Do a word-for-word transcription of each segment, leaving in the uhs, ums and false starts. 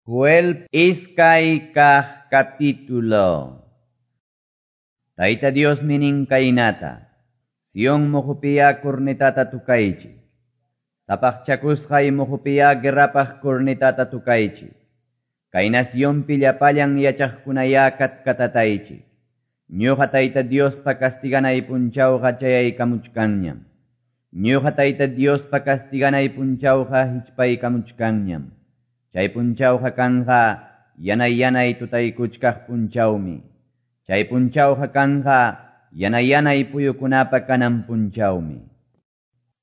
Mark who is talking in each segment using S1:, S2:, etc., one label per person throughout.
S1: Joel iskay kaq capítulo. Tayta Diosmi nin kaynata, Sion muhupiya cornetata tukaychik. Sapaqchakusqay muhupiya guerrapaq cornetata tukaychik. Kay nacionpi llapallan yachaqkunaya katkatataychik. Ñuqa Tayta Diospa castiganay punchawqa chayaykamuchkanñam. Ñuqa Tayta Diospa castiganay punchawqa hichpaykamuchkanñam. Chay punchawqa kanqa yanay yanay tutaykuchkaq punchawmi. Chay punchawqa kanqa yanay yanay puyukunapa kanan punchawmi.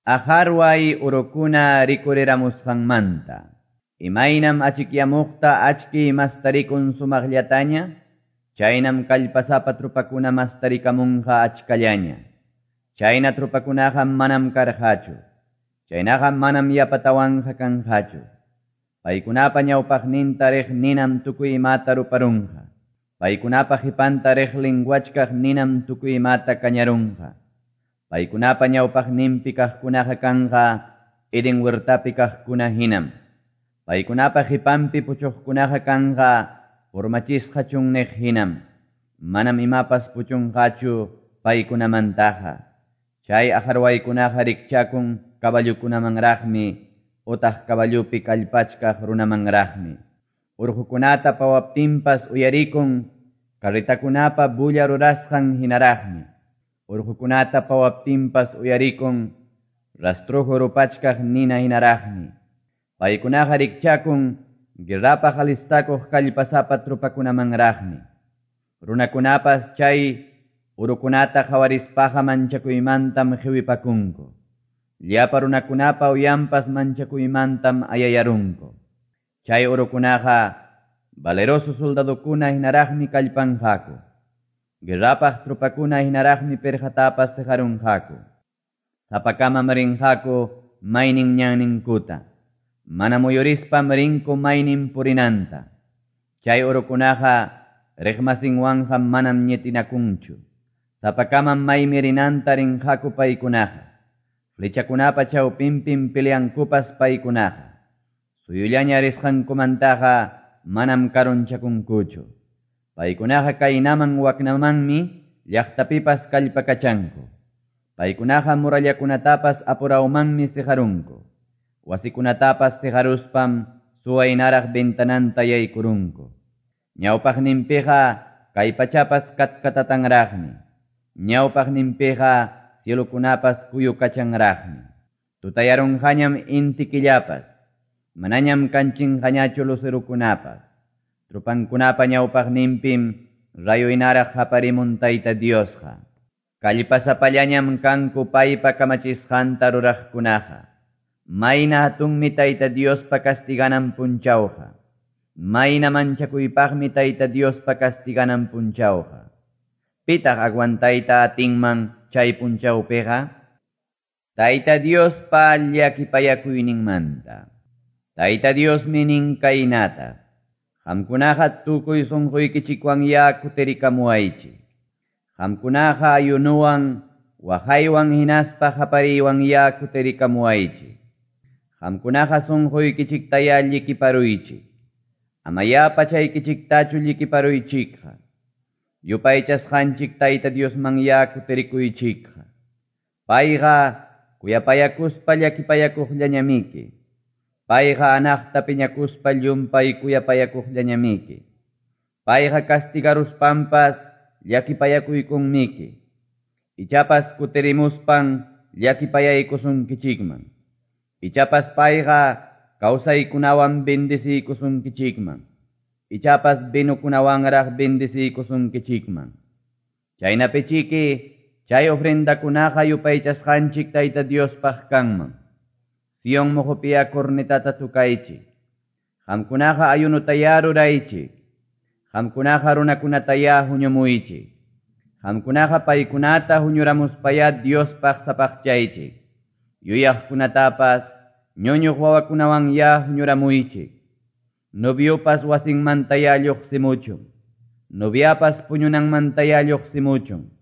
S1: Ajarway urukuna rikuriramusqanmanta. Imaynam achikyamuqta achki mastarikun sumaqllataña, chaynam kallpasapa trupakuna mastarikamunqa achkallaña. Chayna trupakunaqa manam karqachu. Chaynaqa manam yapatawanqa kanqachu. Paykunapa ñawpaqninta riq ninam tukuy imata ruparunqa. Paykunapa qhipanta riq linwachkaq ninam tukuy imata kañarunqa. Paykunapa ñawpaqninpi kaqkunaqa kanqa Edén huertapi kaqkuna hinam. Paykunapa qhipanpi puchuqkunaqa kanqa purmachisqa chunniq hinam. Manam imapas puchunqachu paykunamantaqa. Chay aqharwaykunaqa rikchakun caballukunamanraqmi utaq caballupi kallpachkaq runamanraqmi. Urqukunata pawaptinpas uyarikun carretakunapa bulla rurasqan hinaraqmi. Urqukunata pawaptinpas uyarikun rastrojo rupachkaq nina hinaraqmi. Paykunaqa rikchakun guerrapaq alistakuq kallpasapa trupakunamanraqmi. Runakunapas chay urukunata qhawarispaqa manchakuymantam qiwipakunku. Llapa runakunapa uyanpas manchakuymantam ayayarunku. Chay urukunaqa valeroso soldadokuna hinaraqmi kallpanqaku. Guerrapaq trupakuna hinaraqmi pirqatapas siqarunqaku. Sapakamam rinqaku maynin ñanninkuta. Mana muyurispam rinku maynin purinanta. Chay urukunaqa riqmasinwanqa manam ñitinakunchu. Sapakamam maymi rinanta rinqaku paykunaqa. Flechakunapa chawpinpim peleankupas paykunaqa. Suyullaña risqankumantaqa manam karunchakunkuchu. Paykunaqa kaynaman waknamanmi llaqtapipas kallpakachanku. Paykunaqa murallakunatapas apurawmanmi siqarunku. Wasikunatapas siqaruspam suwaynaraq ventananta yaykurunku. Ñawpaqninpiqa kay pachapas katkatatanraqmi. Ñawpaqninpiqa cielokunapas kuyukachanraqmi. Tutayarunqañam inti killapas, manañam kanchinqañachu lucerukunapas. Trupankunapa ñawpaqninpim rayo hinaraq haparimun Tayta Diosqa. Kallpasapallañam kanku paypa kamachisqanta ruraqkunaqa. Mayna hatunmi Tayta Diospa castiganan punchawqa. Mayna manchakuypaqmi Tayta Diospa castiganan punchawqa. Pitaq aguantayta atinman chay punchawpiqa? Tayta Diospa llakipayakuyninmanta. Tayta Diosmi nin kaynata. Qamkunaqa tukuy sunquykichikwan ya kutirikamuwaychik. Qamkunaqa ayunuwan, waqaywan hinaspa qapariywan ya kutirikamuwaychik. Qamkunaqa sunquykichiktaya llikiparuychik. Amaya pachaykichiktachu llikiparuychikqa. Yupaychasqanchik Tayta Diosman ya kutirikuychikqa. Payqa kuyapayakuspa llakipayakuqllañamiki. Payqa anaqta piñakuspa llumpay kuyapayakuqllañamiki. Payqa castigaruspanpas llakipayakuykunmiki. Ichapas kutirimuspan llakipayaykusunkichikman. Ichapas payqa kawsaykunawan bendeciykusunkichikman. Ichapas vinukunawanraq bendeciykusunkichikman. Chaynapichiki chay ofrendakunaqa yupaychasqanchik Tayta Diospaq kanman. Sion muhupiya cornetata tukaychik. Qamkunaqa ayunutaya ruraychik. Qamkunaqa runakunataya huñumuychik. Qamkunaqa paykunata huñuramuspaya Diospaq sapaqchaychik. Yuyaqkunatapas ñuñuq wawakunawan ya huñuramuychik. Noviopas wasinmantaya lluqsimuchun. Noviapas puñunanmantaya lluqsimuchun.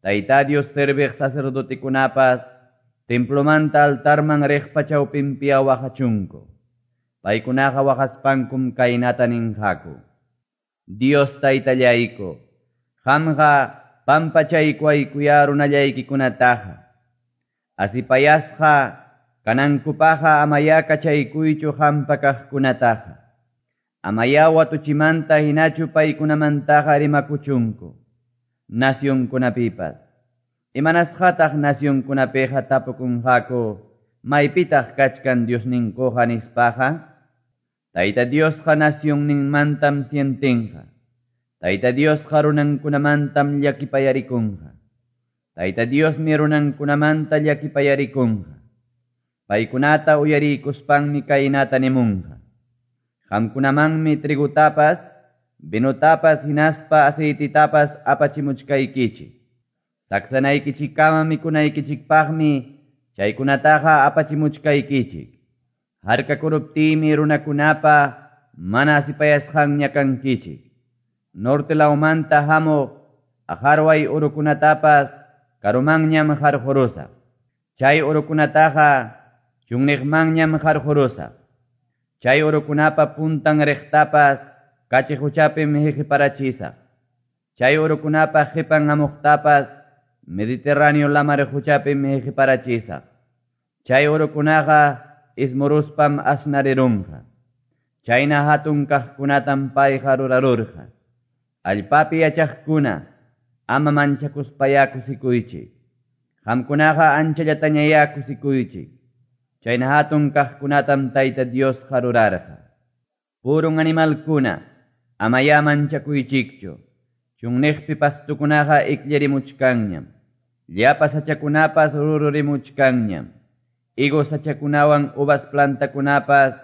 S1: Tayta Dios serviq sacerdotikunapas templomanta altarman riqpa chawpinpiya waqachunku. Paykunaqa waqaspankum kaynata ninqaku, Dios Taytallayku, qamqa pampachaykuwaykuyá runallaykikunataqa. Asipayasqa kanankupaqqa amayá kachaykuychu qampa kaqkunataqa. Amayá watuchimanta hinachu paykunamantaqa rimakuchunku nacionkunapipas. Imanasqataq nacionkunapiqa tapukunqaku maypitaq kachkan Diosninkuqa nispaqa? Tayta Diosqa nacionninmantam sientinqa. Tayta Diosqa runankunamantam llakipayarikunqa. Tayta Diosmi runankunamanta llakipayarikunqa. Paykunata uyarikuspanmi kaynata nimunqa. Qamkunamanmi trigutapas, vinotapas hinaspa aceititapas apachimuchkaykichik. Saksanaykichikkama mikunaykichikpaqmi chaykunataqa apachimuchkaykichik. Harkakuruptiymi runakunapa mana asipayasqanña kankichik. Norte lawmanta hamuq aqarway urukunatapas karumanñam qarqurusaq. Chay urukunataqa chunniqmanñam qarqurusaq. Chay urukunapa puntan riqtapas kachi quchapim hiqiparachisaq. Chay urukunapa qipan hamuqtapas Mediterráneo lamar quchapim hiqiparachisaq. Chay urukunaqa ismuruspam asnarirunqa. Chayna hatun kaqkunatam payqa rurarurqa. Allpapi yachaqkuna, ama manchakuspayá kusikuychik. Qamkunaqa anchallatañayá kusikuychik. Chayna hatun kaqkunatam Tayta Diosqa rurarqa. Purun animalkuna, amayá manchakuychikchu. Chunniqpi pastukunaqa ikllarimuchkanñam. Llapa sachakunapas rururimuchkanñam. Higo sachakunawan uvas plantakunapas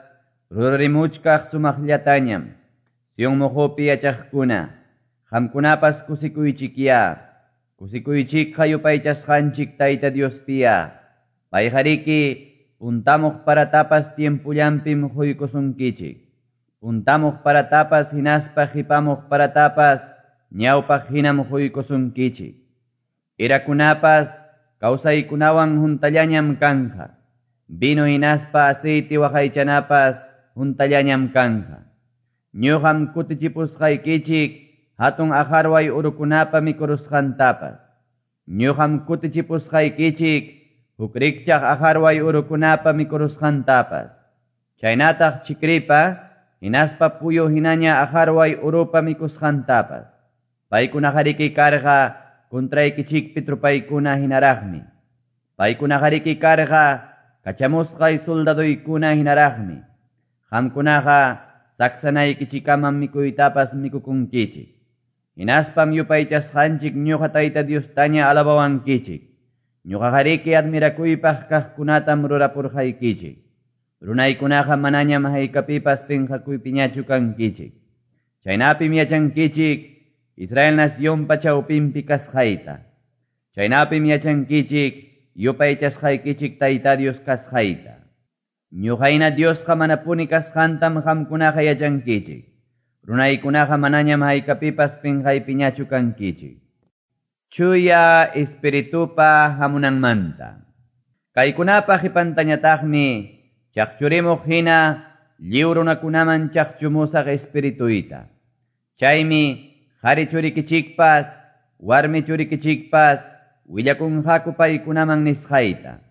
S1: rururimuchkaq sumaqllatañam. Sion muqupi yachaqkuna, qamkunapas kusikuychikyá. Kusikuychikqa yupaychasqanchik Tayta Diospiya. Payqariki puntamuq paratapas tiempullanpim quykusunkichik. Puntamuq paratapas hinaspa qipamuq paratapas ñawpaq hinam quykusunkichik. Irakunapas kawsaykunawan huntallañam kanqa. Vino hinaspa aceite waqaychanapas huntallañam kanqa. Ñuqam kutichipusqaykichik hatun aqarway urukunapa mikurusqantapas. Ñuqam kutichipusqaykichik huk rikchaq aqarway urukunapa mikurusqantapas. Chaynataq chikripa hinaspa puyu hinaña aqarway urupa mikusqantapas. Paykunaqariki karqa kontraykichikpi trupaykuna hinaraqmi. Paykunaqariki karqa kachamusqay soldadoykuna hinaraqmi. Qamkunaqa saksanaykichikamam mikuytapas mikukunkichik. Hinaspam yupaychasqanchik ñuqa Tayta Diostaña alabawankichik. Ñuqaqariki admirakuypaq kaqkunatam rurapurqaykichik. Runaykunaqa manañam haykapipas pinqakuypiñachu kankichik. Chaynapim yachankichik Israel nacionpa chawpinpi kasqayta. Chaynapim yachankichik yupaychasqaykichik Tayta Dios kasqayta. Ñuqayna Diosqa manapuni kasqantam qamkunaqa yachankichik. Runaykunaqa manañam haykapipas pinqaypiñachu kankichik. Chuya Espiritupa hamunanmanta. Kaykunapa qipantañataqmi chaqchurimuq hina lliw runakunaman chaqchumusaq Espirituyta. Chaymi qhari churikichikpas, warmi churikichikpas willakunqaku paykunaman nisqayta.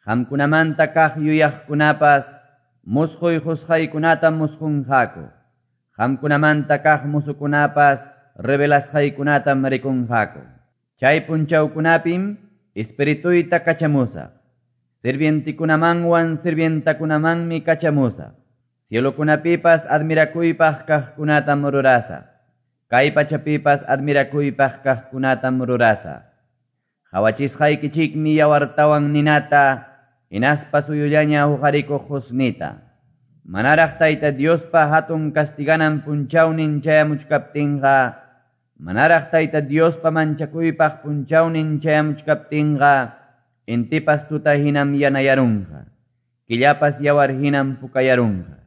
S1: Qamkunamanta kaq yuyaqkunapas musquy qusqaykunatam musqunqaku. Qamkunamanta kaq musukunapas revelasqaykunatam rikunqaku. Chay punchawkunapim Espirituyta kachamusaq. Sirvientikunamanwan sirvientakunamanmi kachamusaq. Cielokunapipas admirakuypaq kaqkunatam rurasaq. Kay pachapipas admirakuypaq kaqkunatam rurasaq. Qawachisqaykichikmi yawartawan ninata, hinaspa suyullaña huqarikuq husnita. Manaraq Tayta Diospa hatun kastiganan punchawnin chayamuchkaptinqa, manaraq Tayta Diospa manchakuypaq punchawnin chayamuchkaptinqa, intipas tuta hinam yanayarunqa, killapas yawar hinam pukayarunqa.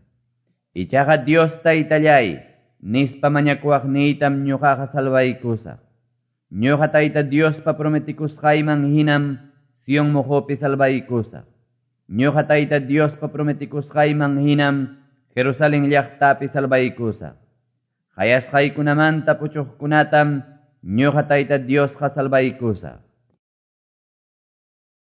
S1: Ichaqa Dios Taytallay, nispa mañakuwaqniytam ñuqaqa salvaykusaq. Ñuqa Tayta Diospa prometikusqayman hinam Sion muqupi salvaykusaq. Ñuqa Tayta Diospa prometikusqayman hinam Jerusalén llaqtapi salvaykusaq. Qayasqaykunamanta puchuqkunatam ñuqa Tayta Diosqa salvaykusaq.